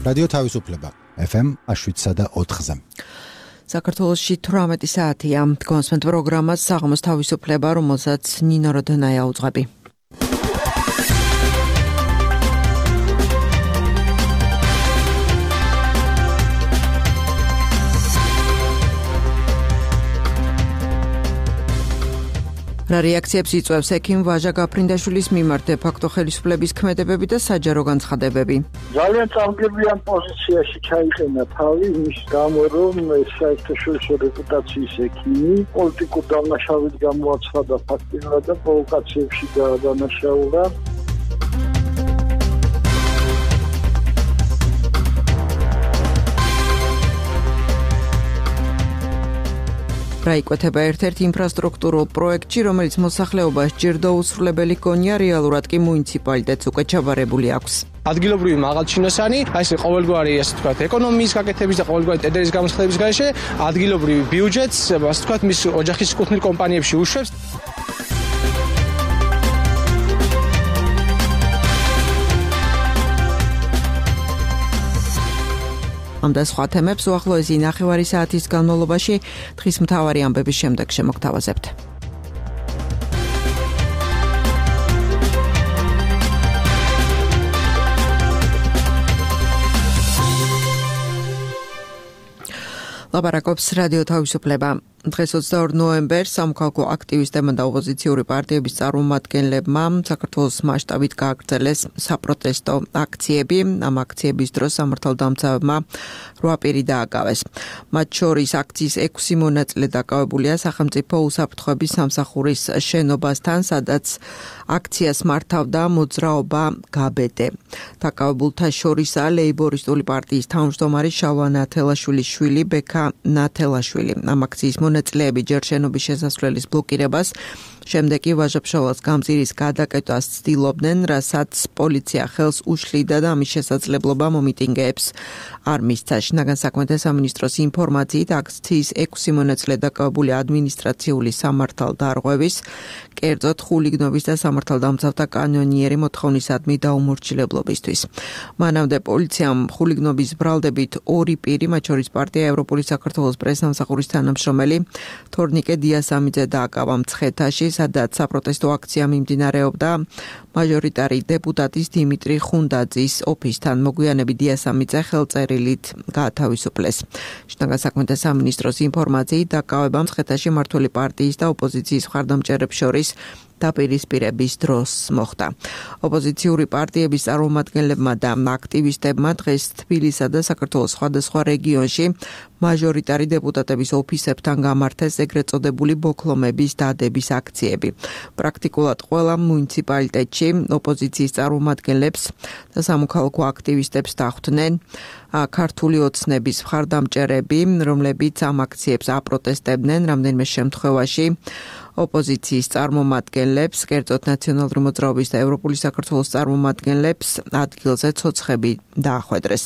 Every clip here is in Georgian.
რადიო თავისუფლება FM 7.4-ზე. საქართველოში 18 საათია. კონსმენტ პროგრამას საღამოს თავისუფლება, რომელსაც ნინო როდონაია უძღვები. რა რეაქციებს იწვევს ექიმ ვაჟა გაფრინდაშვილის მიმართ დე-ფაქტო ხელისუფლების ქმედებები და საჯარო განცხადებები? ძალიან წამგებიან პოზიციაში ჩაიყენა თავი იმის გამო, რომ საერთაშორისო რეპუტაციის ექიმი პოლიტიკურ დანაშაულით გამოაცხადა ფაქტიურად და პროვოკაციებში გადანაშაულა. რა იკვეთება ერთ-ერთ ინფრასტრუქტურულ პროექტში, რომელიც მოსახლეობას ჯერდო უსრულებელი ჰქონია, რეალურად კი მუნიციპალიტეტს უკვე ჩაბარებული აქვს. ადგილობრივი მაღალჩინოსანი, ეს ყოველგვარი, ასე ვთქვათ, ეკონომიის გაკეთების და ყოველგვარი ტენდერის გამოსხდების გარეშე ადგილობრივი ბიუჯეტს, ასე ვთქვათ, მის ოჯახის კუთვნილ კომპანიებში უშვებს. ამ და სხვა თემებს უახლოესი 9 საათის განმავლობაში დღის მთავარი ამბების შემდეგ შემოგთავაზებთ. ლაპარაკობს რადიო თავისუფლება. დღეს 22 ნოემბერს სამოქალაქო აქტივისტებმა და ოპოზიციური პარტიების წარმომადგენლებმა საქართველოს მასშტაბით გააგრძელეს საპროტესტო აქციები. ამ აქციების დროს სამართალდამცავებმა 8 პირი დააკავეს. მათ შორის აქციის 6 მონაწილე დაკავებულია სახელმწიფო უსაფრთხოების სამსახურის შენობასთან, სადაც აქციას მართავდა მოძრაობა გაბედე. დაკავებულთა შორისაა ლეიბორისტული პარტიის თავმჯდომარე შალვა ნათელაშვილის შვილი ბექა ნათელაშვილი. ამ აქციის მონაწილეები ჯერ შენობის შესასვლელის ბლოკირებას, შემდეგ კი ვაჟა-ფშაველას გამზირის გადაკეტვას ცდილობდნენ, რასაც პოლიცია ხელს უშლიდა და ამის შესაძლებლობა მომიტინგეებს არ მისცა. შინაგან საქმეთა სამინისტროს ინფორმაციით აქციის 6 მონაწილე დაკავებული ადმინისტრაციული სამართალდარღვევის, კერძოდ ხულიგნობის და სამართალდამცავთა კანონიერი მოთხოვნისადმი დაუმორჩილებლობისთვის. მანამდე პოლიციამ ხულიგნობის ბრალდებით 2 პირი, მათ შორის პარტია ევროპული საქართველოს პრესსამსახურის თანამშრომელი თორნიკე დიასამიძე დააკავა მცხეთაში, სადაც საპროტესტო აქცია მიმდინარეობდა მაჟორიტარი დეპუტატის დიმიტრი ხუნდაძის ოფისთან. მოგვიანებით დიასამიძე ხელწერილით გაათავისუფლეს. შინაგან საქმეთა სამინისტროს ინფორმაციით დაკავება მცხეთაში მმართველი პარტიის და ოპოზიციის მხარდამჭერებს შორის დაპირისპირების დროს მოხდა. ოპოზიციური პარტიების წარმომადგენლებმა და აქტივისტებმა დღეს თბილისსა და საქართველოს სხვადასხვა რეგიონში მაჟორიტარი დეპუტატების ოფისებთან გამართეს ეგრეთ წოდებული ბოქლომების დადების აქციები. პრაქტიკულად ყველა მუნიციპალიტეტში ოპოზიციის წარმომადგენლებს და სამოქალაქო აქტივისტებს დახვდნენ ქართული ოცნების მხარდამჭერები, რომლებიც ამ აქციებს აპროტესტებდნენ. რამდენიმე შემთხვევაში ოპოზიციის წარმომადგენლებს, კერძოდ ნაციონალური მოძრაობის და ევროპული საქართველოს წარმომადგენლებს ადგილზე ცოცხები დაახვედრეს.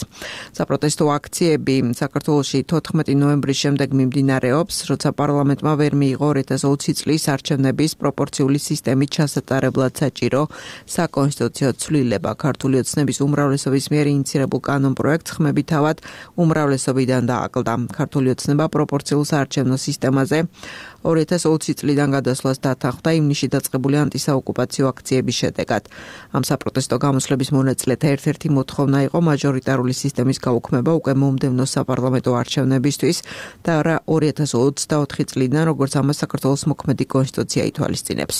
საპროტესტო აქციები საქართველოში 14 ნოემბრის შემდეგ მიმდინარეობს, როცა პარლამენტმა ვერ მიიღო 2020 წლის არჩევნების პროპორციული სისტემით ჩასატარებლად საჭირო საკონსტიტუციო ცვლილება. ქართული ოცნების უმრავლესობის მიერ ინიცირებულ კანონპროექტს ხმები თავად უმრავლესობიდან დააკლდა. ქართული ოცნება პროპორციულ საარჩევნო სისტემაზე 2020 წლიდან გადასვლას დათანხმდა ივნისში დაწყებული ანტისაოკუპაციო აქციების შედეგად. ამ საპროტესტო გამოსვლების მონაწილეთა ერთ-ერთი მოთხოვნა იყო მაჟორიტარული სისტემის გაუქმება უკვე მომდევნო საპარლამენტო არჩევნებისთვის და რა 2024 წლიდან, როგორც ამას საქართველოს მოქმედი კონსტიტუცია ითვალისწინებს.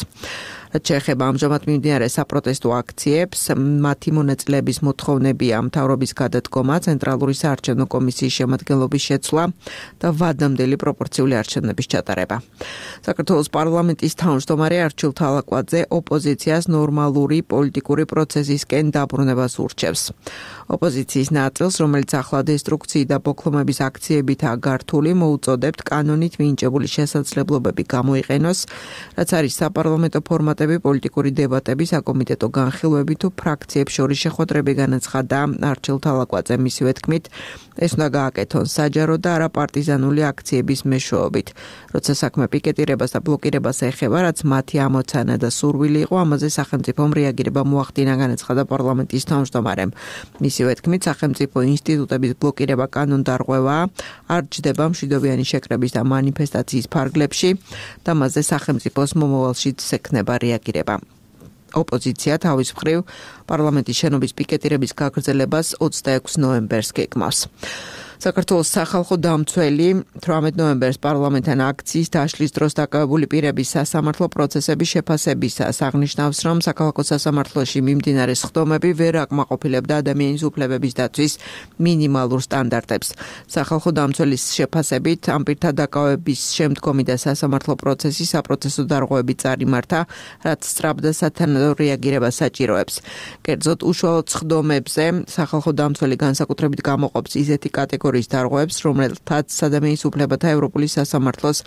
რაც შეეხება ამჟამად მიმდინარე საპროტესტო აქციებს, მათი მონაწილეების მოთხოვნებია მთავრობის გადადგომა, ცენტრალური საარჩევნო კომისიის შემადგენლობის შეცვლა და ვადამდელი პროპორციული არჩევნების ჩატარება. საქართველოს პარლამენტის თავმჯდომარე არჩილ თალაკვაძე ოპოზიციას ნორმალური პოლიტიკური პროცესისკენ დაბრუნებას ურჩევს. ოპოზიციის ნაწილს, რომელიც ახლა დესტრუქციის და ბოქლომების აქციებითაა გართული, მოუწოდებთ კანონით მინიჭებული შესაძლებლობები გამოიყენოს, რაც არის საპარლამენტო ფორმატებში დეპუტატები პოლიტიკური დებატები, საკომიტეტო განხილვები თუ ფრაქციებს შორის შეხვედრები განაცხადა არჩილ თალაკვაძემ. მისივე თქმით, ეს უნდა გააკეთონ საჯარო და არა პარტიზანული აქციების მეშვეობით. როცა საქმე პიკეტირებას და ბლოკირებას ეხება, რაც მათი ამოცანა და სურვილი იყო, ამაზე სახელმწიფომ რეაგირება მოახდინა, განაცხადა პარლამენტის თავმჯდომარემ. მისივე თქმით, სახელმწიფო ინსტიტუტების ბლოკირება კანონდარღვევაა, არ ჯდება მშვიდობიანი შეკრების და მანიფესტაციის ფარგლებში და მასზე სახელმწიფოს მომავალშიც ექნება რეაგირება. ოპოზიცია თავის მხრივ პარლამენტის შენობის პიკეტირების გაგრძელებას 26 ნოემბერს გეგმავს. საქართველოს სახალხო დამცველი 18 ნოემბერს პარლამენტთან აქციის დაშლის დროს დაკავებული პირების სასამართლო პროცესების შეფასებისას აღნიშნავს, რომ საქალაქო სასამართლოში მიმდინარე სხდომები ვერ აკმაყოფილებდა ადამიანის უფლებების დაცვის მინიმალურ სტანდარტებს. სახალხო დამცველის შეფასებით ამ პირთა დაკავების შემდგომი და სასამართლო პროცესი საპროცესო დარღვევებით წარიმართა, რაც სწრაფ და სათანადო რეაგირებას საჭიროებს. კერძოდ, უშუალოდ სხდომებზე სახალხო დამცველი განსაკუთრებით გამოყოფს ისეთი კატეგორიის დარღვევებს, რომელთაც ადამიანის უფლებათა ევროპული სასამართლოს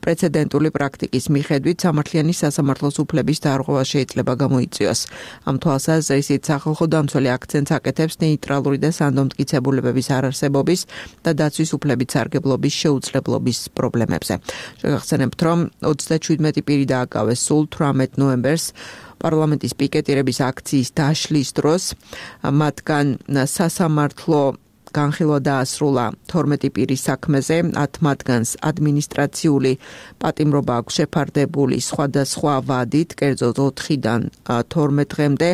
პრეცედენტული პრაქტიკის მიხედვით სამართლიანი სასამართლოს უფლების დარღვევა შეიძლება გამოიწვიოს. ამ თვალსაზრისით სახალხო დამცველი აქცენტს აკეთებს ნეიტრალური და სანდომტკიცებულებების არარსებობის და დაცვის უფლებით სარგებლობის შეუძლებლობის პრობლემებზე. შეგახსენებთ, რომ 37 პირი დააკავეს სულ 18 ნოემბერს პარლამენტის პიკეტირების აქციის დაშლის დროს, მათგან სასამართლო განხილვა დაასრულა 12 პირის საქმეზე, 10 მათგანს ადმინისტრაციული პატიმრობა აქვს შეფარდებული სხვადასხვა ვადით, კერძოდ 4-დან 12 დღემდე,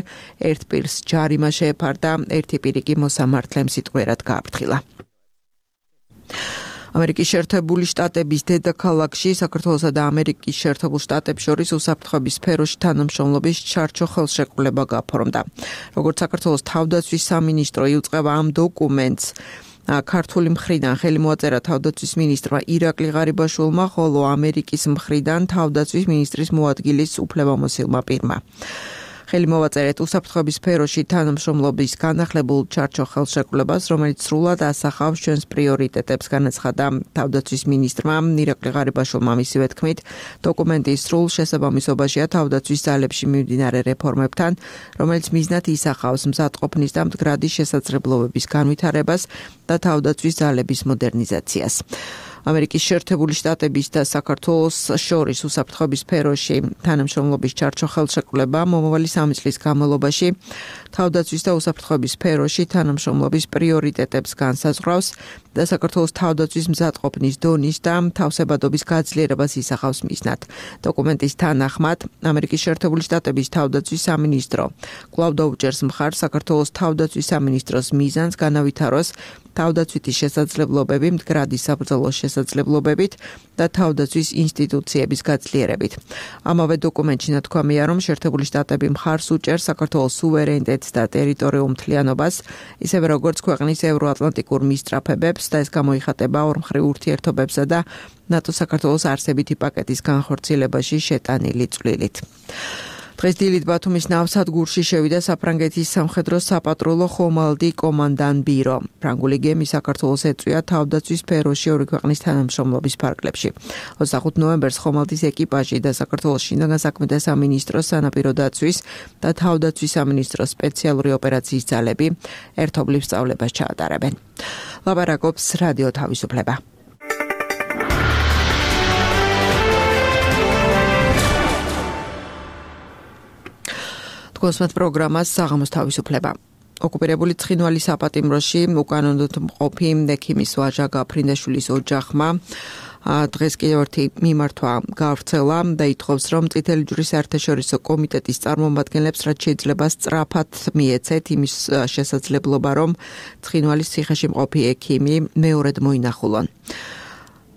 ერთ პირს ჯარიმა შეეფარდა, ერთი პირი კი მოსამართლემ სიტყვიერად გააფრთხილა. ამერიკის შეერთებული შტატების დედაქალაქში საქართველოსა და ამერიკის შეერთებულ შტატებს შორის უსაფრთხოების სფეროში თანამშრომლობის ჩარჩო ხელშეკრულება გაფორმდა. როგორც საქართველოს თავდაცვის სამინისტრო იუწყება ამ დოკუმენტს, ქართული მხრიდან ხელი მოაწერა თავდაცვის მინისტრმა ირაკლი ღარიბაშვილმა, ხოლო ამერიკის მხრიდან თავდაცვის მინისტრის მოადგილის უფლებამოსილმა პირმა. ხელი მოვაწერეთ უსაფრთხოების სფეროში თანამშრომლობის განახლებულ ჩარჩო ხელშეკრულებას, რომელიც სრულად ასახავს ჩვენს პრიორიტეტებს, განაცხადა თავდაცვის მინისტრმა ირაკლი ღარიბაშვილმა. მისივე თქმით, დოკუმენტის სრულ შესაბამისობაშია თავდაცვის ძალებში მიმდინარე რეფორმებთან, რომელიც მიზნად ისახავს მზადყოფნის და მდგრადი შესაძლებლობების განვითარებას და თავდაცვის ძალების მოდერნიზაციას. ამერიკის შეერთებული შტატების და საქართველოს შორის უსაფრთხოების სფეროში თანამშრომლობის ჩარჩო ხელშეკრულება მომავალი 3 წლის განმავლობაში თავდაცვის და უსაფრთხოების სფეროში თანამშრომლობის პრიორიტეტებს განსაზღვრავს და საქართველოს თავდაცვის მზადყოფნის დონის და თავსებადობის გაძლიერებას ისახავს მიზნად. დოკუმენტის თანახმად, ამერიკის შეერთებული შტატების თავდაცვის სამინისტრო კვლავ დაუჭერს მხარს საქართველოს თავდაცვის სამინისტროს მიზანს განავითაროს თავდაცვითი შესაძლებლობები მდგრადი საბრძოლო შესაძლებლობებით და თავდაცვის ინსტიტუციების გაძლიერებით. ამავე დოკუმენტში ნათქვამია, რომ შეერთებული შტატები მხარს უჭერს საქართველოს სუვერენიტეტს და ტერიტორიულ მთლიანობას, ისევე როგორც ქვეყნის ევროატლანტიკურ მისწრაფებებს და ეს გამოიხატება ორმხრივ ურთიერთობებსა და ნატო-საქართველოს არსებითი პაკეტის განხორციელებაში შეტანილი წვლილით. დღეს დილით ბათუმის ნავსადგურში შევიდა საფრანგეთის სამხედრო საპატრულო ხომალდი კომანდან ბირო. ფრანგული გემი საქართველოს ეწვია თავდაცვის სფეროში ორი ქვეყნის თანამშრომლობის ფარგლებში. 25 ნოემბერს ხომალდის ეკიპაჟი და საქართველოს შინაგან საქმეთა სამინისტროს სანაპირო დაცვის და თავდაცვის სამინისტროს სპეციალური ოპერაციის ძალები ერთობლივ სწავლებას ჩაატარებენ. ლაპარაკობს რადიო თავისუფლება. გოსმეთ პროგრამას საღამოს თავისუფლება. ოკუპირებული ცხინვალის საპატიმროში უკანონოდ მყოფი ექიმის ვაჟა გაფრინდაშვილის ოჯახმა დღეს კიდევ ერთი მიმართვა გავრცელა და ითხოვს, რომ წითელი ჯვრის საერთაშორისო კომიტეტის წარმომადგენლებს რაც შეიძლება სწრაფად მიეცეთ იმის შესაძლებლობა, რომ ცხინვალის ციხეში მყოფი ექიმი მეორედ მოინახულონ.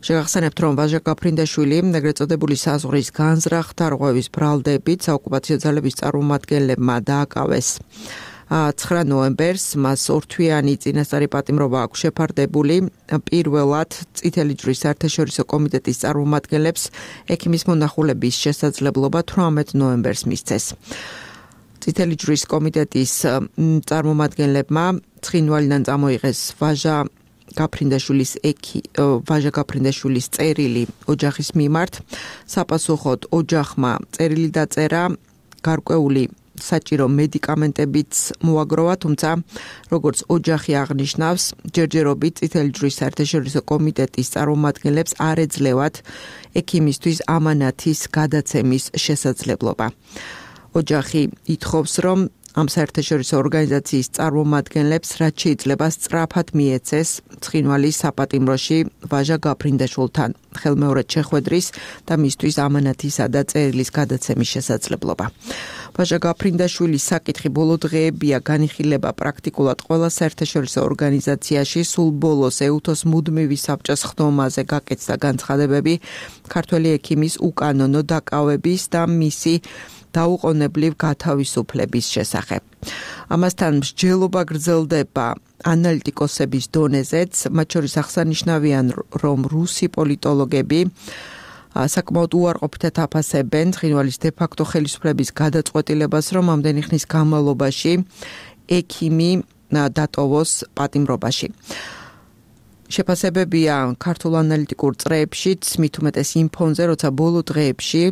შეგახსენებთ, რომ ვაჟა გაფრინდაშვილი ეგრეთ წოდებული საზღვრის განზრახ დარღვევის ბრალდებით საოკუპაციო ძალების წარმომადგენლებმა დააკავეს 9 ნოემბერს, მას ორთვიანი წინასწარი პატიმრობა აქვს შეფარდებული. პირველად წითელი ჯვრის საერთაშორისო კომიტეტის წარმომადგენლებს ექიმის მონახულების შესაძლებლობა 18 ნოემბერს მისცეს. წითელი ჯვრის კომიტეტის წარმომადგენლებმა ცხინვალიდან წამოიღეს ვაჟა გაფრინდაშვილის წერილი ოჯახის მიმართ. საპასუხოდ ოჯახმა წერილი დაწერა გარკვეული საჭირო მედიკამენტებიც მოაგროვა, თუმცა როგორც ოჯახი აღნიშნავს, ჯერჯერობით წითელი ჯვრის საერთაშორისო კომიტეტის წარმომადგენლებს არ ეძლევათ ექიმისთვის ამანათის გადაცემის შესაძლებლობა. ოჯახი ითხოვს, რომ ამ საერთაშორისო ორგანიზაციის წარმომადგენლებს რაც შეიძლება სწრაფად მიეცეს ცხინვალის საპატიმროში ვაჟა გაფრინდაშვილთან ხელმეორედ შეხვედრის და მისთვის ამანათისა და წერილის გადაცემის შესაძლებლობა. ვაჟა გაფრინდაშვილის საკითხი ბოლო დღეებია განიხილება პრაქტიკულად ყველა საერთაშორისო ორგანიზაციაში. სულ ბოლოს ეუთოს მუდმივი საბჭოს ხდომაზე გაკეთდა განცხადებები ქართველი ექიმის უკანონო დაკავების და მისი დაუყოვნებლივ გათავისუფლების შესახებ. ამასთან მსჯელობა გრძელდება ანალიტიკოსების დონეზეც, მათ შორის აღსანიშნავია, რომ რუსი პოლიტოლოგები საკმაოდ უარყოფითად აფასებენ ცხინვალის დე-ფაქტო ხელისუფლების გადაწყვეტილებას, რომ ამდენი ხნის განმავლობაში ექიმი დატოვოს პატიმრობაში. შეფასებებია ქართულ ანალიტიკურ წრეებშიც, მით უმეტეს იმ ფონზე, როცა ბოლო დღეებში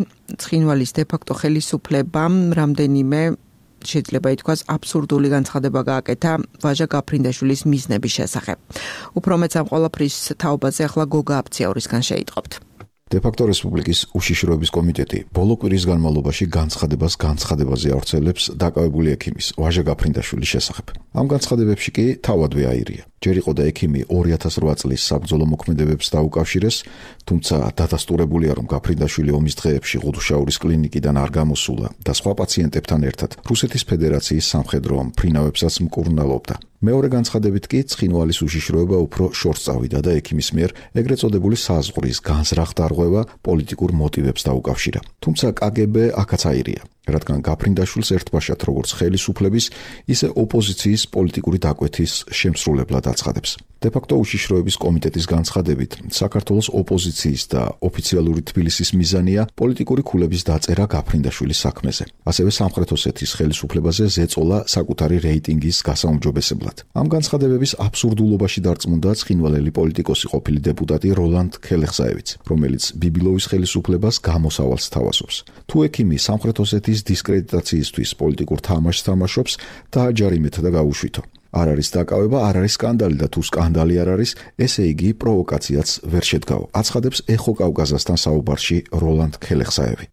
ცხინვალის დე-ფაქტო ხელისუფლებამ რამდენიმე შეიძლება ითქვას აბსურდული განცხადება გააკეთა ვაჟა გაფრინდაშვილის მიზნების შესახებ. უფრო მეც ამ ყველაფრის თაობაზე ახლა გოგა აფციაურისგან შეიტყობთ. დე-ფაქტო რესპუბლიკის უშიშროების კომიტეტი ბოლო კვირის განმავლობაში განცხადებაზე ავრცელებს დაკავებული ექიმის ვაჟა გაფრინდაშვილის შესახებ. ამ განცხადებებში კი თავადვე აირია. ჯერ იყო და ექიმი 2008 წლის საბრძოლო მოქმედებებს დაუკავშირეს, თუმცა დადასტურებულია, რომ გაფრინდაშვილი ომის დღეებში ღუდუშაურის კლინიკიდან არ გამოსულა და სხვა პაციენტებთან ერთად რუსეთის ფედერაციის სამხედრო მფრინავებსაც მკურნალობდა. მეორე განცხადებით კი ცხინვალის უშიშროება უფრო შორს წავიდა და ექიმის მიერ ეგრეთ წოდებული საზღვრის განზრახ დარღვევა პოლიტიკურ მოტივებს დაუკავშირა. თუმცა KGB აქაც აირია, რადგან გაფრინდაშვილს ერთბაშად როგორც ხელისუფლების, ისე ოპოზიციის პოლიტიკური დაკვეთის შემსრულებლად აცხადებს. დე-ფაქტო უშიშროების კომიტეტის განცხადებით, საქართველოს ოპოზიციის და ოფიციალური თბილისის მიზანია პოლიტიკური ქულების დაწერა გაფრინდაშვილის საქმეზე. ასევე სამხრეთ ოსეთის ხელისუფლებაზე ზეწოლა საკუთარი რეიტინგის გასაუმჯობესებლად. ამ განცხადებების აბსურდულობაში დარწმუნდა ცხინვალელი პოლიტიკოსი ყოფილი დეპუტატი როლანდ ქელეხსაევიც, რომელიც ბიბილოვის ხელისუფლებას გამოსავალს თავაზობს. თუ ექიმი სამხრეთ ოსეთის დისკრედიტაციისთვის პოლიტიკურ თამაშს თამაშობს, დააჯარიმეთ და გაუშვითო. არ არის დაკავება, არ არის სკანდალი და თუ სკანდალი არ არის, ესე იგი პროვოკაციაც ვერ შედგაო. აცხადებს ეხო კავკაზასთან საუბარში როლანდ ქელეხსაევი.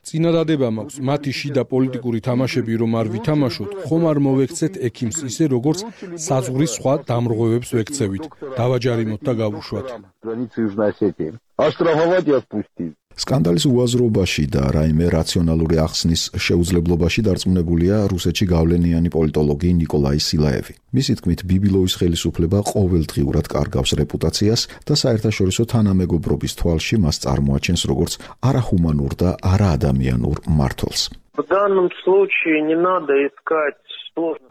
წინადადება მაქვს, მათი შიდა პოლიტიკური თამაშები რომ არ ვითამაშოთ, ხომ არ მოვექცეთ ექიმს ისე როგორც საზღვრის სხვა დამრღვევებს ვექცევით. დავაჯარიმოთ და გავუშვათ. სკანდალის უაზრობაში და რაიმე რაციონალური ახსნის შეუძლებლობაში დარწმუნებულია რუსეთში გავლენიანი პოლიტოლოგი ნიკოლაი სილაევი. მისი თქმით, ბიბილოვის ხელისუფლება ყოველდღიურად კარგავს რეპუტაციას და საერთაშორისო თანამეგობრობის თვალში მას წარმოაჩენს როგორც არაჰუმანურ და არაადამიანურ მმართველს.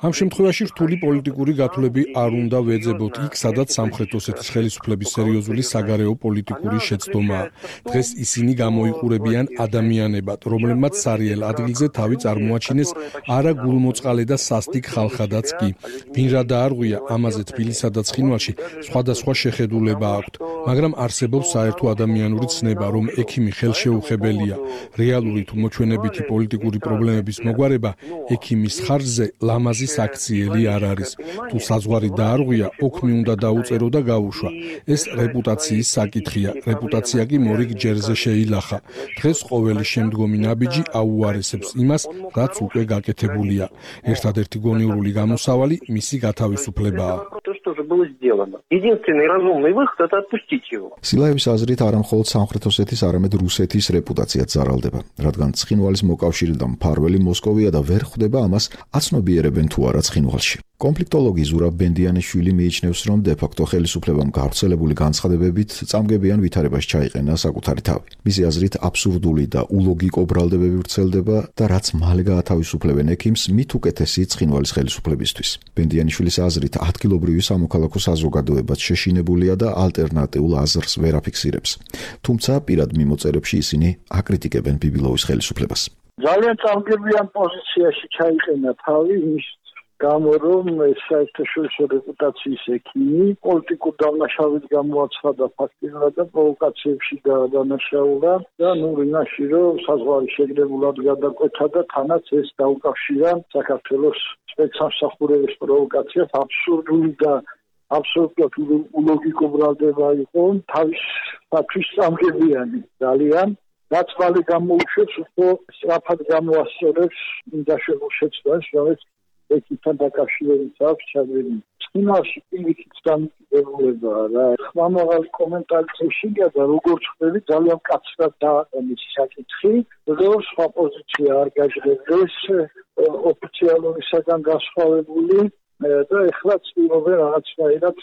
ამ შემთხვევაში რთული პოლიტიკური გათვლები არ უნდა ვეძებოთ იქ, სადაც სამხრეთ ოსეთის ხელისუფლების სერიოზული საგარეო პოლიტიკური შეცდომაა. დღეს ისინი გამოიყურებიან ადამიანებად, რომლებმაც სარიელ ადგილზე თავი წარმოაჩინეს არა გულმოწყალე და სასტიკ ხალხადაც კი. ვინ რა დაარღვია, ამაზე თბილისსა და ცხინვალში სხვადასხვა შეხედულება აქვთ, მაგრამ არსებობს საერთო ადამიანური ცნება, რომ ექიმი ხელშეუხებელია. რეალური თუ მოჩვენებითი პოლიტიკური პრობლემების მოგვარება ექიმის ხარჯზე ლამაზი საქციელი არ არის. თუ საზღვარი დაარღვია, ოქმი უნდა დაუწერო და გაუშვა. ეს რეპუტაციის საკითხია. რეპუტაცია კი მორიგ ჯერზე შეილახა. დღეს ყოველი შემდგომი ნაბიჯი აუარესებს იმას, რაც უკვე გაკეთებულია. ერთადერთი გონივრული გამოსავალი მისი გათავისუფლებაა. სილაევის აზრით არა მხოლოდ სამხრეთ ოსეთის, არამედ რუსეთის რეპუტაციაც ზარალდება, რადგან ცხინვალის მოკავშირე და მფარველი მოსკოვია და ვერ ხვდება ამას აცნობიერებენ თუ არა ცხინვალში. კონფლიქტოლოგი ზურაბ ბენდიანიშვილი მიიჩნევს, რომ დე-ფაქტო ხელისუფლებამ გავრცელებული განცხადებებით წამგებიან ვითარებაში ჩაიყენა საკუთარი თავი. მისი აზრით აბსურდული და ულოგიკო ბრალდებები ვრცელდება და რაც მალე გაათავისუფლებენ ექიმს, მით უკეთესი ცხინვალის ხელისუფლებისთვის. ბენდიანიშვილის აზრით ადგილობრივი სამოქალაქო საზოგადოებაც შეშინებულია და ალტერნატიულ აზრს ვერ აფიქსირებს. თუმცა პირად მიმოწერებში ისინი აკრიტიკებენ ბიბილოვის ხელისუფლებას. ძალიან წამგებიან პოზიციაში ჩაიყენა თავი, გამო რომ ეს საერთაშორისო რეპუტაციის ექიმი პოლიტიკურ დამნაშავედ გამოაცხადა ფაქტიურად და პროვოკაციებში გადანაშაულა და რინაში რომ საზღვარი შეგრებულად გადაკვეთა და თანაც ეს დაუკავშირა საქართველოს სპეცსამსახურების პროვოკაციას აბსურდული და აბსოლუტურად ულოგიკო ბრალდება იყო თავისთავად სამგებიანი ძალიან დაწვალი გამოუშვებს უფრო სწრაფად გამოასწორებს ინდაშებულ შეცდომას რომელიც ეკთან დაკავშირებით აქვს ჩადენილი. წინაში პირიქით დამოკიდებულებაა რა. ხმამაღალი კომენტარი შეგვიძლია და როგორც ხდები ძალიან მკაცრად დააყენეს საკითხი, რომ სხვა პოზიცია არ გაჟღერდეს ოფიციალურისაგან განსხვავებული და ეხლა ცდილობენ რაღაცნაირად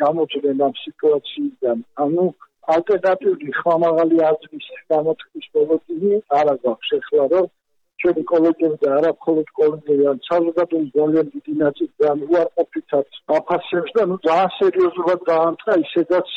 გამოწვენ ამ სიტუაციიდან. ანუ ალტერნატიული ხმამაღალი აზრის გამოთქმის პოლიტიკი არ აქვს ეხლა რომ ჩვენი კოლეგები და არა მხოლოდ კოლეგები ან საზოგადოების ძალიან დიდი ნაწილი უარყოფითად აფასებს და ძალიან სერიოზულად დაამტყა ისედაც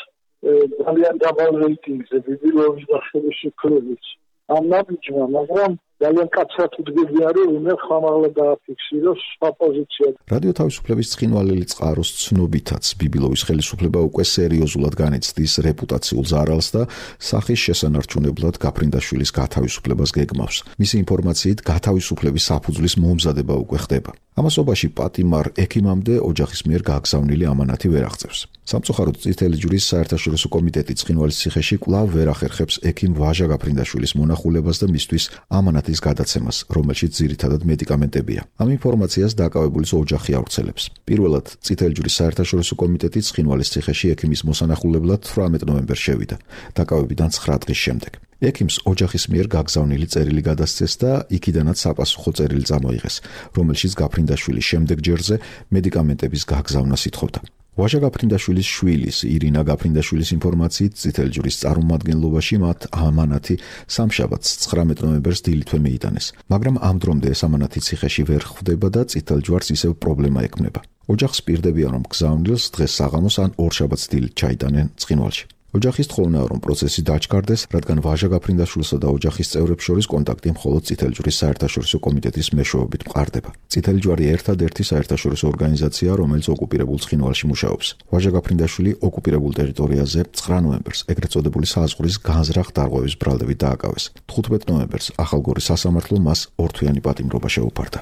ძალიან დაბალ რეიტინგზე ბიბილოვის და ხელისუფლების ამ ნაბიჯმა, მაგრამ ძალიან კაცად უდგებია რომ უნდა ხმამაღლა დააფიქსიროს სხვა პოზიცია. რადიო თავისუფლების ცხინვალელი წყაროს ცნობითაც ბიბილოვის ხელისუფლება უკვე სერიოზულად განიცდის რეპუტაციულ ზარალს და სახის შესანარჩუნებლად გაფრინდაშვილის გათავისუფლებას გეგმავს. მისი ინფორმაციით გათავისუფლების საფუძვლის მომზადება უკვე ხდება. ამასობაში პატიმარ ექიმამდე ოჯახის მიერ გააგზავნილი ამანათი ვერ აღწევს. სამწუხაროდ წითელი ჯვრის საერთაშორისო კომიტეტი ცხინვალის ციხეში კვლავ ვერ ახერხებს ექიმ ვაჟა გაფრინდაშვილის მონახულებას და მისთვის ამანათის გადაცემას, რომელშიც ძირითადად მედიკამენტებია. ამ ინფორმაციას დაკავებულის ოჯახი ავრცელებს. პირველად წითელი ჯვრის საერთაშორისო კომიტეტი ცხინვალის ციხეში ექიმის მოსანახულებლად 18 ნოემბერს შევიდა, დაკავებიდან 9 დღის შემდეგ. ექიმს ოჯახის მიერ გაგზავნილი წერილი გადასცეს და იქიდანაც საპასუხო წერილი წამოიღეს, რომელშიც გაფრინდაშვილის შემდეგ ჯერზე მედიკამენტების გაგზავნას ითხოვდა. ვაჟა გაფრინდაშვილის შვილის ირინა გაფრინდაშვილის ინფორმაციით წითელი ჯვრის წარმომადგენლობაში მათ ამანათი სამშაბათს 19 ნოემბერს დილითვე მიიტანეს, მაგრამ ამ დრომდე ეს ამანათი ციხეში ვერ ხვდება და წითელ ჯვარს ისევ პრობლემა ექმნება. ოჯახს პირდებიან რომ გზავნილს დღეს საღამოს ან ორშაბათს დილით ჩაიტანენ ცხინვალში. ოჯახის თხოვნაა რომ პროცესი დაჩქარდეს, რადგან ვაჟა გაფრინდაშვილსა და ოჯახის წევრებს შორის კონტაქტი მხოლოდ წითელი ჯვრის საერთაშორისო კომიტეტის მეშვეობით მყარდება. წითელი ჯვარი ერთადერთი საერთაშორისო ორგანიზაციაა, რომელიც ოკუპირებულ ცხინვალში მუშაობს. ვაჟა გაფრინდაშვილი ოკუპირებულ ტერიტორიაზე 9 ნოემბერს ეგრეთ წოდებული საზღვრის განზრახ-დარღვევის ბრალდებით დააკავეს. 15 ნოემბერს ახალგორის სასამართლო მას ორთვიანი პატიმრობა შეუფარდა.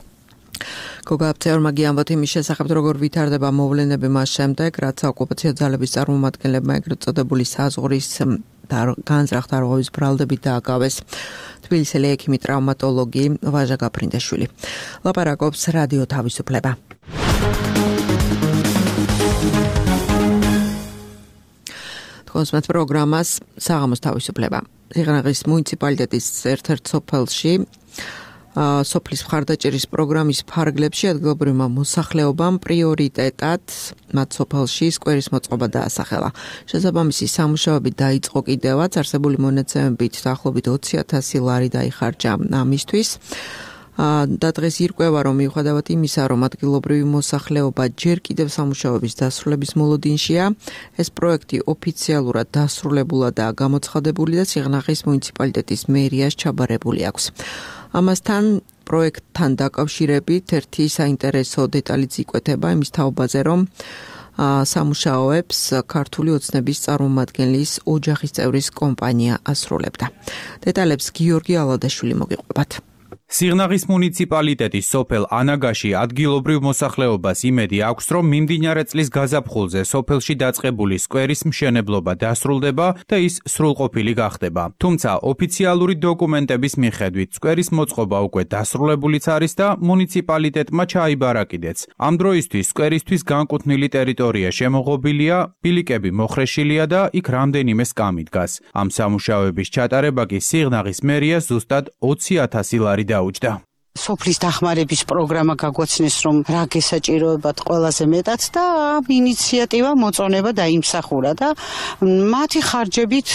გოგა აფცეორმა გიამბოთ იმის შესახებ, როგორ ვითარდება მოვლენები მას შემდეგ, რაც ოკუპაციო ძალების წარმომადგენლებმა ეგრეთ წოდებული საზღვრის განზრახ-დარღვევის ბრალდებით დააკავეს. თბილისელი ექიმი ტრავმატოლოგი ვაჟა გაფრინდაშვილი. ლაპარაკობს რადიო თავისუფლება. თქვენს პროგრამას საღამოს თავისუფლება. სიღნაღის მუნიციპალიტეტის ერთ-ერთ სოფელში სოფლის მხარდაჭერის პროგრამის ფარგლებში ადგილობრივმა მოსახლეობამ პრიორიტეტად მათ სოფელში სკვერის მოწყობა დაასახელა. შესაბამისი სამუშაოები დაიწყო კიდევაც, არსებული მონაცემებით დაახლოებით 20,000 ლარი დაიხარჯა ამისთვის. და დღეს ირკვევა, რომ მიუხედავად იმისა, რომ ადგილობრივი მოსახლეობა ჯერ კიდევ სამუშაოების დასრულების მოლოდინშია, ეს პროექტი ოფიციალურად დასრულებულადაა გამოცხადებული და სიღნაღის მუნიციპალიტეტის მერიას ჩაბარებული აქვს. ამასთან პროექტთან დაკავშირებით ერთი საინტერესო დეტალიც იკვეთება იმის თაობაზე, რომ სამუშაოებს ქართული ოცნების წარმომადგენლის ოჯახის წევრის კომპანია ასრულებდა. დეტალებს გიორგი ალადაშვილი მოგიყვებათ. სიღნაღის მუნიციპალიტეტის სოფელ ანაგაში ადგილობრივ მოსახლეობას იმედი აქვს, რომ მიმდინარე წლის გაზაფხულზე სოფელში დაწყებული სკვერის მშენებლობა დასრულდება და ის სრულყოფილი გახდება. თუმცა ოფიციალური დოკუმენტების მიხედვით სკვერის მოწყობა უკვე დასრულებულიც არის და მუნიციპალიტეტმა ჩაიბარა კიდეც. ამ დროისთვის სკვერისთვის განკუთვნილი ტერიტორია შემოღობილია, ბილიკები მოხრეშილია და იქ რამდენიმე სკამი დგას. ამ სამუშაოების ჩატარება კი სიღნაღის მერიას ზუსტად 20,000 ლარი დაუჯდა. სოფლის დახმარების პროგრამა გაგვაცნეს, რომ რა გესაჭიროებათ ყველაზე მეტად და ამ ინიციატივა მოწონება დაიმსახურა და მათი ხარჯებით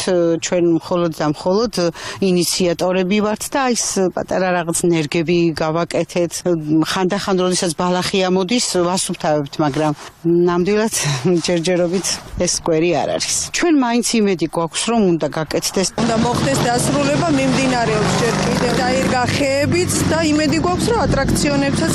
ჩვენ მხოლოდ ინიციატორები ვართ და ის პატარა რაღაც ნერგები გავაკეთეთ. ხანდახან როდესაც ბალახი ამოდის, ვასუფთავებთ, მაგრამ ნამდვილად ჯერჯერობით ეს სკვერი არ არის. ჩვენ მაინც იმედი გვაქვს, რომ უნდა გაკეთდეს. უნდა მოხდეს დასრულება, მიმდინარეობს ჯერ კიდევ დაირგა ხეებიც და იმედი გვაქვს, რომ ატრაქციონებსაც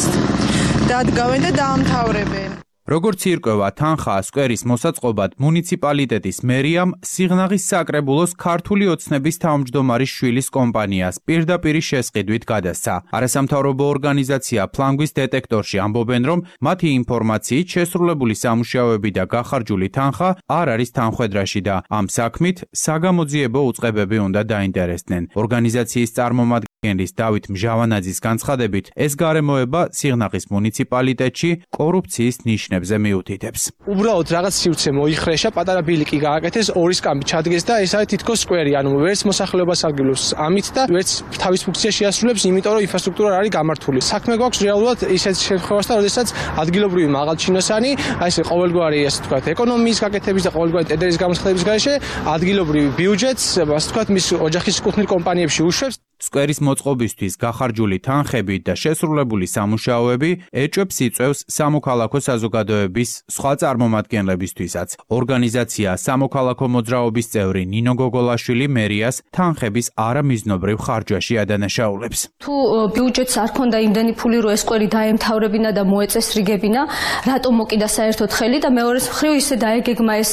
დადგავენ და დაამთავრებენ. როგორც ირკვევა თანხა სკვერის მოსაწყობად მუნიციპალიტეტის მერიამ სიღნაღის საკრებულოს ქართული ოცნების თავმჯდომარის შვილის კომპანიას პირდაპირ შესყიდვით გადასცა. არასამთავრობო ორგანიზაცია ფლანგვის დეტექტორში ამბობენ, რომ მათი ინფორმაციით შესრულებული სამუშაოები და გახარჯული თანხა არ არის თანხwebdriverში და ამ საქმით საგამოძიებო უწყებები უნდა დაინტერესდნენ. ორგანიზაციის წარმომადგენლის დავით მჟავანაძის განცხადებით, ეს გარემოება სიღნაღის მუნიციპალიტეტში კორუფციის ნიშნებს მიუთითებს. უბრალოდ რაღაც სივრცე მოიხრეშა, პატარა ბილიკი გააკეთეს, ორი სკამი ჩადგეს და ეს არის თითქოს სკვერი, ანუ ვერც მოსახლეობას აგილოს ამით და ვერც თავის ფუნქციას შეასრულებს, იმიტომ რომ ინფრასტრუქტურა არ არის გამართული. საქმე გვაქვს რეალურად ისეთ შემთხვევასთან, როდესაც ადგილობრივი მაღალჩინოსანი, აი ეს ყოველგვარი ასე ვთქვათ, ეკონომიის გაკეთების და ყოველგვარი ტენდერის გამოსხდების გარეშე ადგილობრივი ბიუჯეტს, ასე ვთქვათ, მის ოჯახის კუთვნილ კომპანიებში უშვებს. სკვერის მოწყობისთვის გახარჯული თანხები და შესრულებული სამუშაოები ეჭვებს იწვევს სამოქალაქო საზოგადოების სხვა წარმომადგენლებისთვისაც. ორგანიზაცია სამოქალაქო მოძრაობის წევრი ნინო გოგოლაშვილი მერიას თანხების არამიზნობრივ ხარჯვაში ადანაშაულებს. თუ ბიუჯეტს არ ქონდა იმდენი ფული, რომ ეს სკვერი დაემთავრებინა და მოეწესრიგებინა, რატომ მოკიდა საერთოდ ხელი და მეორე მხრივ ისე დაეგეგმა ეს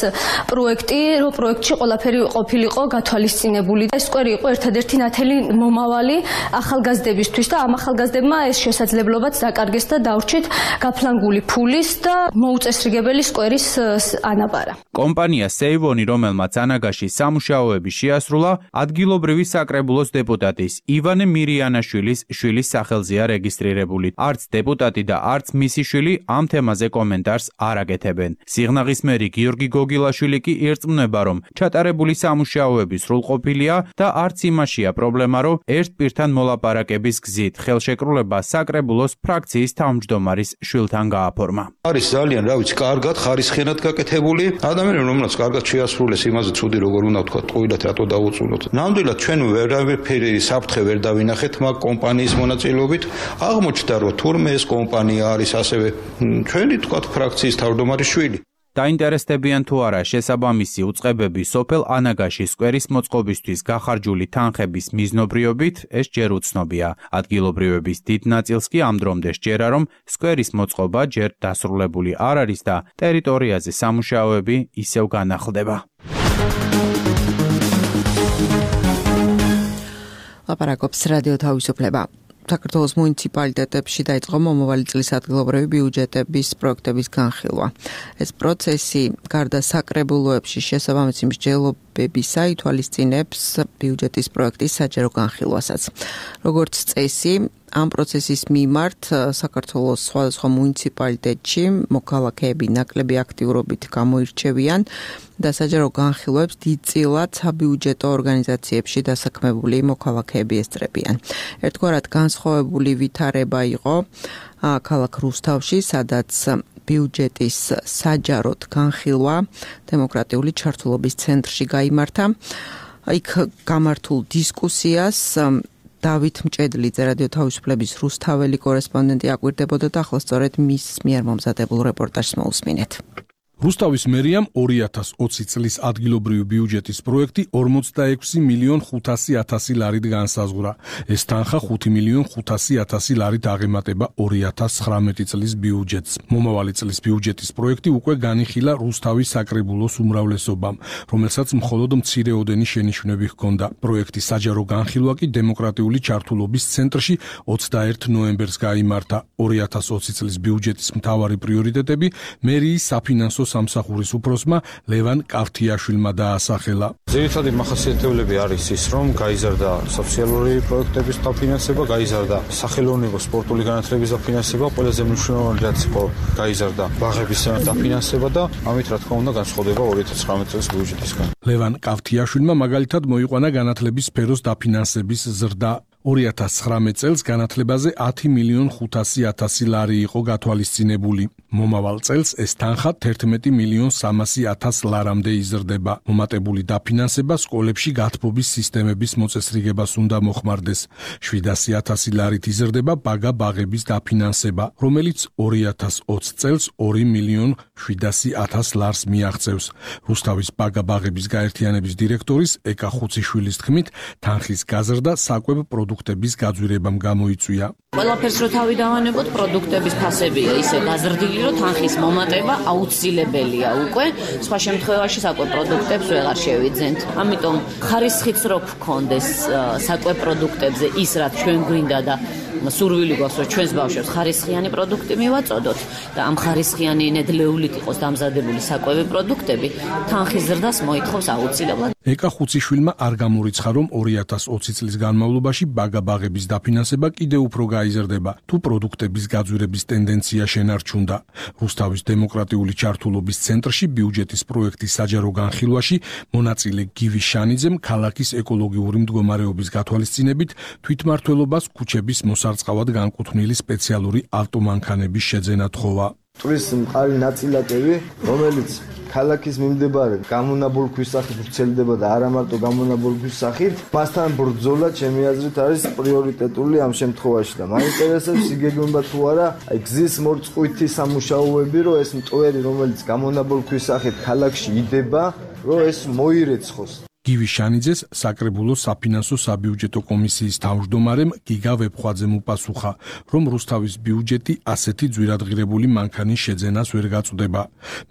პროექტი, რომ პროექტში ყველაფერი ყოფილიყო გათვალისწინებული. ეს სკვერი იყო ერთადერთი ნათელი მომავალი ახალგაზრდებისთვის და ამ ახალგაზრდებმა ეს შესაძლებლობაც დაკარგეს და დაურჩით გაფლანგული ფულის და მოუწესრიგებელი სკვერის ანაბარა. კომპანია სეივონი, რომელმაც ანაგაში სამუშაოები შეასრულა, ადგილობრივი საკრებულოს დეპუტატის ივანე მირიანაშვილის შვილის სახელზეა რეგისტრირებული. არც დეპუტატი და არც მისი შვილი ამ თემაზე კომენტარს არ აკეთებენ. სიღნაღის მერი გიორგი გოგილაშვილი კი ირწმუნება, რომ ჩატარებული სამუშაოები სრულყოფილია და არც იმაშია პრობლემა, რომ ერთ პირთან მოლაპარაკების გზით ხელშეკრულება საკრებულოს ფრაქციის თავმჯდომარის შვილთან გააფორმა. არის ძალიან, რა ვიცი, კარგად ხარისხიანად გაკეთებული. ადამიანები, რომელსაც კარგად შეასრულეს იმაზე ცუდი როგორ უნდა ვთქვა, ტყუილად რატო დაუწუნოთ. ნამდვილად ჩვენ ვერაფერი საფრთხე ვერ დავინახეთ მაგ კომპანიის მონაწილეობით. აღმოჩნდა, რომ თურმე ეს კომპანია არის ასევე ჩვენი თქვა ფრაქციის თავმჯდომარის შვილი. დაინტერესდებიან თუ არა შესაბამისი უწყებები სოფელ ანაგაში სკვერის მოწყობისთვის გახარჯული თანხების მიზნობრიობით, ეს ჯერ უცნობია. ადგილობრივების დიდ ნაწილს კი ამ დრომდე სჯერა, რომ სკვერის მოწყობა ჯერ დასრულებული არ არის და ტერიტორიაზე სამუშაოები ისევ განახლდება. ლაპარაკობს რადიო თავისუფლება. საქართველოს მუნიციპალიტეტებში დაიწყო მომავალი წლის ადგილობრივი ბიუჯეტების პროექტების განხილვა. ეს პროცესი გარდა საკრებულოებში შესაბამისი მსჯელობებისა ითვალისწინებს ბიუჯეტის პროექტის საჯარო განხილვასაც. როგორც წესი, ამ პროცესის მიმართ საქართველოს სხვადასხვა მუნიციპალიტეტში მოქალაქეები ნაკლები აქტიურობით გამოირჩევიან და საჯარო განხილვებს დიდწილად საბიუჯეტო ორგანიზაციებში დასაქმებული მოქალაქეები ესწრებიან. ერთგვარად განსხვავებული ვითარება იყო ქალაქ რუსთავში, სადაც ბიუჯეტის საჯაროდ განხილვა დემოკრატიული ჩართულობის ცენტრში გაიმართა. იქ გამართულ დისკუსიას დავით მჭედლიძე რადიო თავისუფლების რუსთაველი კორესპონდენტი აკვირდებოდა და ახლა სწორედ მის მიერ მომზადებულ რეპორტაჟს მოусმინეთ. რუსთავის მერიამ 2020 წლის ადგილობრივი ბიუჯეტის პროექტი 46.500.000 ლარით განსაზღვრა. ეს თანხა 5.500.000 ლარით აღემატება 2019 წლის ბიუჯეტს. მომავალი წლის ბიუჯეტის პროექტი უკვე განიხილა რუსთავის საკრებულოს უმრავლესობამ, რომელსაც მხოლოდ მცირეოდენი შენიშვნები ჰქონდა. პროექტის საჯარო განხილვა კი დემოკრატიული ჩართულობის ცენტრში 21 ნოემბერს გაიმართა. 2020 წლის ბიუჯეტის მთავარი პრიორიტეტები მერიის საფინანსო სამსახურის უფროსმა ლევან კავთიაშვილმა დაასახელა. ძირითადი მახასიათებლები არის ის, რომ გაიზარდა სოციალური პროექტების დაფინანსება, გაიზარდა სახელოვნებო სპორტული განათლების დაფინანსება, ყველაზე მნიშვნელოვანი რაც იყო გაიზარდა ბაღების დაფინანსება და ამით რა თქმა უნდა განსხვავდება 2019 წლის ბიუჯეტისგან. ლევან კავთიაშვილმა მაგალითად მოიყვანა განათლების სფეროს დაფინანსების ზრდა. 2019 წელს განათლებაზე 10.500.000 ლარი იყო გათვალისწინებული. მომავალ წელს ეს თანხა 11.300.000 ლარამდე იზრდება. მომატებული დაფინანსება სკოლებში გათბობის სისტემების მოწესრიგებას უნდა მოხმარდეს. 700.000 ლარით იზრდება ბაგა-ბაღების დაფინანსება, რომელიც 2020 წელს 2.700.000 ლარს მიაღწევს. რუსთავის ბაგა-ბაღების გაერთიანების დირექტორის ეკა ხუციშვილის თქმით, თანხის გაზრდა საკვებ პროდუქტ პროდუქტების გაძვირებამ გამოიწვია. ყველაფერს რო თავი დავანებოთ, პროდუქტების ფასებია ისე გაზრდილი, რომ თანხის მომატება აუცილებელია უკვე. სხვა შემთხვევაში საკვე პროდუქტებს ვეღარ შევიძენთ. ამიტომ ხარისხიც რო გქონდეს საკვე პროდუქტებზე ის რაც ჩვენ გვინდა და სურვილი გვაქვს რომ ჩვენს ბავშვებს ხარისხიანი პროდუქტი მივაწოდოთ და ამ ხარისხიანი ნედლეულით იყოს დამზადებული საკვები პროდუქტები, თანხის ზრდას მოითხოვს აუცილებლად. ეკა ხუციშვილმა არ გამორიცხა, რომ 2020 წლის განმავლობაში ბაგა-ბაღების დაფინანსება კიდევ უფრო გაიზრდება, თუ პროდუქტების გაძვირების ტენდენცია შენარჩუნდა. რუსთავის დემოკრატიული ჩართულობის ცენტრში ბიუჯეტის პროექტის საჯარო განხილვაში მონაწილე გივი შანიძემ ქალაქის ეკოლოგიური მდგომარეობის გათვალისწინებით თვითმმართველობას ქუჩების მოსარწყავად განკუთვნილი სპეციალური ავტომანქანების შეძენა თხოვა. ტურის მყარი ნაწილაკები, რომელიც ქალაქის მიმდებარე გამონაბოლ ქვისახით ვრცელდება და არა მარტო გამონაბოლ ქვისახით, მასთან ბრძოლა ჩემი აზრით არის პრიორიტეტული ამ შემთხვევაში და მაინტერესებს იგეგმება თუ არა აი გზის მორწყვითი სამუშაოები, რომ ეს მტვერი, რომელიც გამონაბოლ ქვისახით ქალაქში იდება, რომ ეს მოირეცხოს. გივი შანიძეს საკრებულოს საფინანსო საბიუჯეტო კომისიის თავმჯდომარემ გიგა ვეფხვაძემ უპასუხა, რომ რუსთავის ბიუჯეტი ასეთი ძვირადღირებული მანქანის შეძენას ვერ გაწვდება.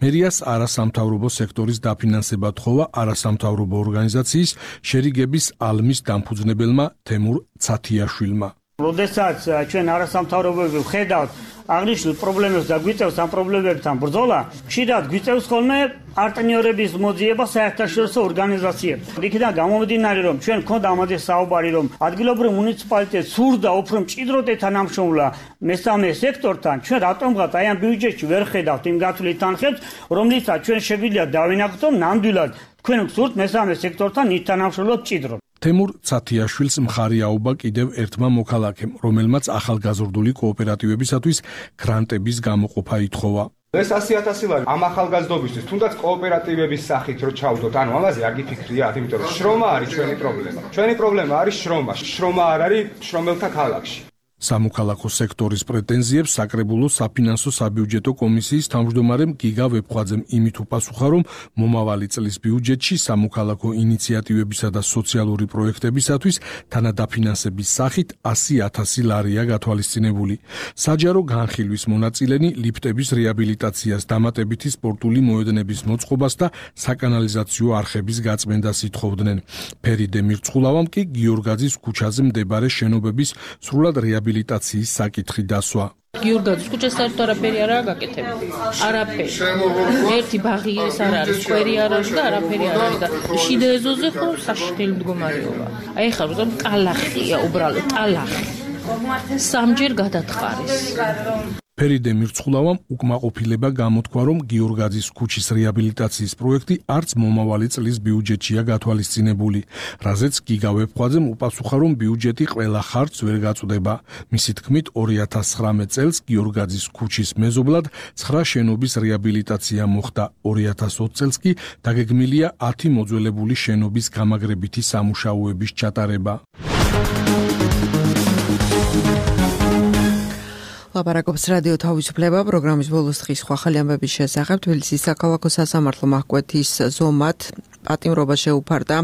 მერიას არასამთავრობო სექტორის დაფინანსება თხოვა არასამთავრობო ორგანიზაციის შერიგების ალმის დამფუძნებელმა თემურ ცათიაშვილმა. როდესაც ჩვენ არასამთავრობოები ვხედავთ აღნიშნულ პრობლემებს და გვიწევს ამ პრობლემებთან ბრძოლა, ხშირად გვიწევს ხოლმე პარტნიორების მოძიება საერთაშორისო ორგანიზაციებს. იქიდან გამომდინარე, რომ ჩვენ გქონდა ამაზე საუბარი, რომ ადგილობრივ მუნიციპალიტეტს სურდა უფრო მჭიდროდ ეთანამშრომლა მესამე სექტორთან, ჩვენ რატომღაც აი ამ ბიუჯეტში ვერ ხედავთ იმ გათვლით თანხებს, რომლითაც ჩვენ შეგვიძლია დავინახოთ, რომ ნამდვილად თქვენ გსურთ მესამე სექტორთან ითანამშრომლოთ მჭიდროდ. თემურ ცათიაშვილს მხარი აუბა კიდევ ერთმა მოქალაქემ, რომელმაც ახალგაზრდული კოოპერატივებისათვის გრანტების გამოყოფა ითხოვა. ეს 100.000 ლარი ამ ახალგაზრდობისთვის, თუნდაც კოოპერატივების სახით რო ჩავდოთ, ანუ ამაზე არ გიფიქრიათ, იმიტომ რომ შრომა არის ჩვენი პრობლემა. ჩვენი პრობლემა არის შრომა. შრომა არ არის შრომელთა ქალაქში. სამოქალაქო სექტორის პრეტენზიებს საკრებულოს საფინანსო საბიუჯეტო კომისიის თავმჯდომარემ გიგა ვეფხვაძემ იმით უპასუხა, რომ მომავალი წლის ბიუჯეტში სამოქალაქო ინიციატივებისა და სოციალური პროექტებისათვის თანადაფინანსების სახით 100.000 ლარია გათვალისწინებული. საჯარო განხილვის მონაწილენი ლიფტების რეაბილიტაციას, დამატებითი სპორტული მოედნების მოწყობას და საკანალიზაციო არხების გაწმენდას ითხოვდნენ. ფერიდე მირცხულავამ კი გიორგაძის ქუჩაზე მდებარე შენობების სრულად რეაბილიტაციის საკითხი დასვა. გიორგაძის ქუჩას საერთოდ არაფერი არაა გაკეთებული. არაფერი. ერთი ბაღი ეს არ არის, სკვერი არ არის და არაფერი არ არის და შიდა ეზოზე ხო საშინელი მდგომარეობა. აი ხარ უბრალოდ ტალახია, უბრალოდ ტალახი. სამჯერ გადათხარეს. ფერიდე მირცხულავამ უკმაყოფილება გამოთქვა, რომ გიორგაძის ქუჩის რეაბილიტაციის პროექტი არც მომავალი წლის ბიუჯეტშია გათვალისწინებული, რაზეც გიგა ვეფხვაძემ უპასუხა, რომ ბიუჯეტი ყველა ხარჯს ვერ გაწვდება. მისი თქმით, 2019 წელს გიორგაძის ქუჩის მეზობლად 9 შენობის რეაბილიტაცია მოხდა, 2020 წელს კი დაგეგმილია 10 მოძველებული შენობის გამაგრებითი სამუშაოების ჩატარება. ლაპარაკობს რადიო თავისუფლება პროგრამის ბოლოს დღის სხვა ხალი ამბების შესახებ. თბილისის საქალაქო სასამართლო მაჰკვეთის ზომად პატიმრობა შეუფარდა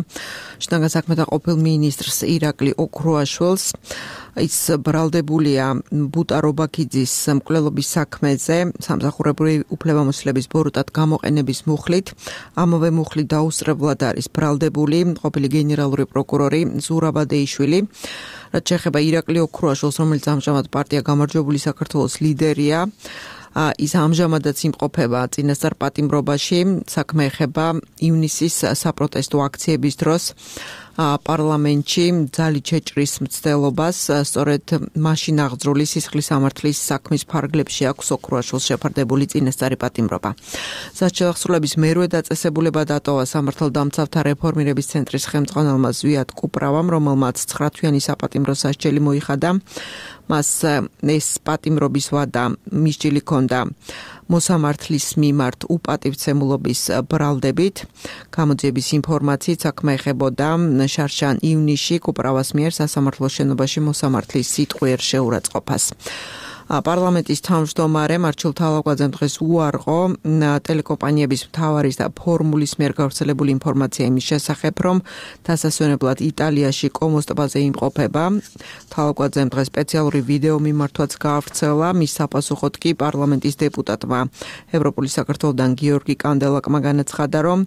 შინაგან საქმეთა ყოფილ მინისტრს ირაკლი ოქროაშვილს. ის ბრალდებულია ბუტა რობაქიძის მკვლელობის საქმეზე სამსახურებრივი უფლებამოსილების ბოროტად გამოყენების მუხლით. ამავე მუხლით დაუსწრებლად არის ბრალდებული ყოფილი გენერალური პროკურორი ზურაბ ადეიშვილი. რაც შეეხება ირაკლი ოქროაშვილს, რომელიც ამჟამად პარტია გამარჯვებული საქართველოს ლიდერია, ის ამჟამადაც იმყოფება წინასწარ პატიმრობაში. საქმე ეხება ივნისის საპროტესტო აქციების დროს პარლამენტში ძალით შეჭრის მცდელობას. სწორედ მაშინ აღძრული სისხლის სამართლის საქმის ფარგლებში აქვს ოქროაშვილს შეფარდებული წინასწარი პატიმრობა. სასჯელახსრულების მერვე დაწესებულება დატოვა სამართალდამცავთა რეფორმირების ცენტრის ხელმძღვანელმა ზვიად კუპრავამ, რომელმაც 9 თვიანი საპატიმრო სასჯელი მოიხადა. მას ეს პატიმრობის ვადა მისჯილი ჰქონდა მოსამართლის მიმართ უპატივცემულობის ბრალდებით. გამოძიების ინფორმაციით საქმე ეხებოდა შარშან ივნისში კუპრავას მიერ სასამართლოს შენობაში მოსამართლის სიტყვიერ შეურაცხყოფას. პარლამენტის თავმჯდომარე მარჩილ თალაკვაძემ დღეს უარყო ტელეკომპანიების მთავარის და ფორმულის მიერ გავრცელებული ინფორმაცია იმის შესახებ, რომ დასასვენებლად იტალიაში კომოს ტბაზე იმყოფება. თალაკვაძემ დღეს სპეციალური ვიდეო მიმართვაც გაავრცელა. მის საპასუხოდ კი პარლამენტის დეპუტატმა ევროპული საქართველოდან გიორგი კანდელაკმა განაცხადა, რომ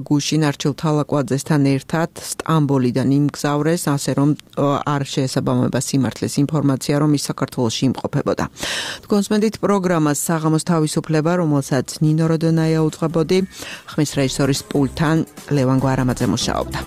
გუშინ არჩილ თალაკვაძესთან ერთად სტამბოლიდან იმგზავრეს, ასე რომ არ შეესაბამება სიმართლეს ინფორმაცია, რომ ის საქართველოში იმყოფებოდა. თქვენსმენდით პროგრამას საღამოს თავისუფლება, რომელსაც ნინო როდონაია უძღვებოდი, ხმის რეჟისორის პულტთან ლევან გვარამაძე მუშაობდა.